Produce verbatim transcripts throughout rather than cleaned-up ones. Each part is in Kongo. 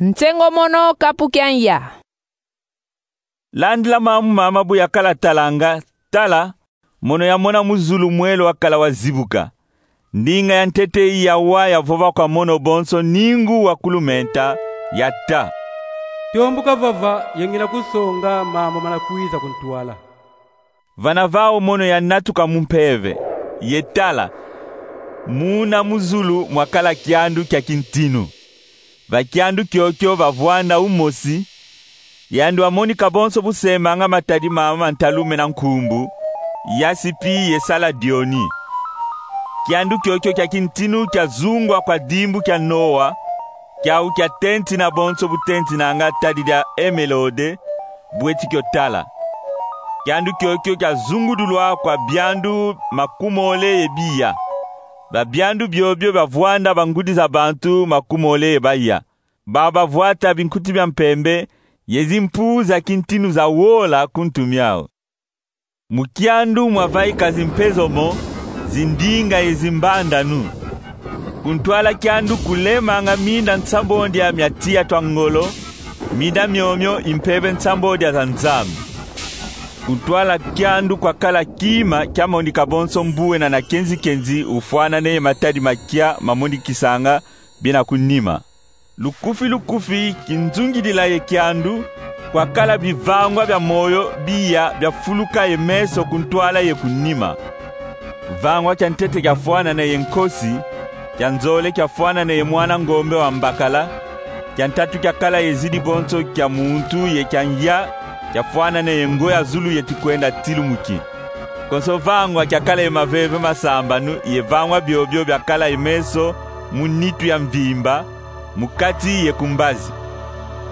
Nsengo mono kapu kia nza. Landila mambu mama bu yakala talanga, tala, mono yamona mu zulu mwelo wakala wazibuka. Ndinga ya ntete yawa yavova kwa mono bonso ningu wa kulumenta, yata: Tombuka vava, ye ngina kusonga mambu mana kwiza ku ntwala. Vana vau mono yanatuka mu mpeve, ye tala, muna mu zulu mwakala kiandu kia kintinu. Va kiandu kiokio vavwanda umosi, yandi wamonika bonso bu semanga matadi mama ma ntalu mena nkumbu, yasipi ye saladioni. Kiandu kiokio kia kintinu kiazungwa kwa dimbu kia Noa, kiau kiatentina bonso bu tentinanga tadi dia emelode, bu eti kio tala. Kiandu kiokio kiazungudulwa kwa biandu makumole ye biya. Ba biandu biobio bavwanda bangudi za bantu makumole ye baya. Bau bavwata binkuti bia mpembe, ye zimpu za kintinu zawola ku ntu miau. Mu kiandu mwavaika zimpe zomo, zindinga ye zimbandanu. Ku ntwala kiandu kulemanga minda nsambondia mia tiya twa ngolo, minda miomio i mpeve nsambondia za Nzambi. Ku ntwala kiandu kwakala kima kiamonika bonso mbuena na kenzi-kenzi ufwanane ye matadi makia mamonikisanga biena ku nima. Lukufi-lukufi, kinzungidila ye kiandu, kwakala bivangwa bia moyo biya biafuluka ye meso ku ntwala ye ku nima. Vangwa kia ntete kiafwanane ye nkosi, kia nzole kiafwanane ye mwana ngombe wa mbakala, kia ntatu kiakala ye zidi bonso kia muntu, ye kia nza kiafwanane ye ngo ya zulu yeti kwenda tilumuki. Konso vangwa kiakala ye maveve masambanu, ye vangwa biobio biakala ye meso mu nitu ya mvimba, mu kati ye ku mbazi.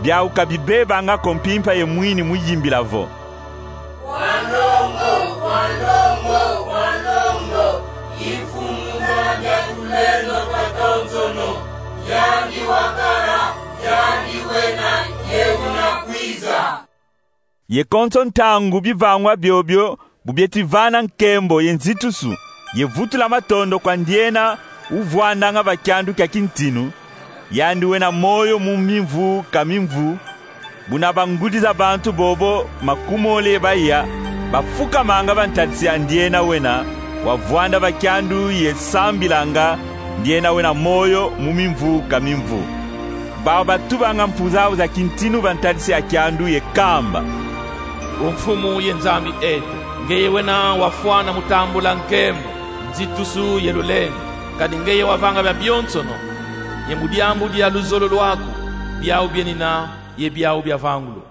Biau ka bibebanga ko mpimpa ye mwini mu yimbila vo: Wa ndongo, wa ndongo, wa ndongo, i Mfumu Nzambi a tulendo twatonsono, yandi wakala, yandi wena, ye una kwiza. Ye konso ntangu bivangwa biobio bu bieti vana nkembo ye nzitusu, ye vutula matondo kwa ndiena uvwandanga va kiandu kia kintinu, yandi wena moyo mu mimvu ka mimvu, buna bangudi za bantu bobo makumole ye baya bafukamanga va ntadisi ya ndiena wena wavwanda va kiandu ye sambilanga ndiena wena moyo mu mimvu ka mimvu. Bau batubanga mpu zau za kintinu va ntadisi ya kiandu ye kamba: O Mfumu ye Nzambi eto, ngeye wena wafwana mu tambula nkembo, nzitusu ye lulendo, kadi ngeye wavanga biabionsono, ye mu diambu dia luzolo lwaku, biau bienina ye biau biavangulu.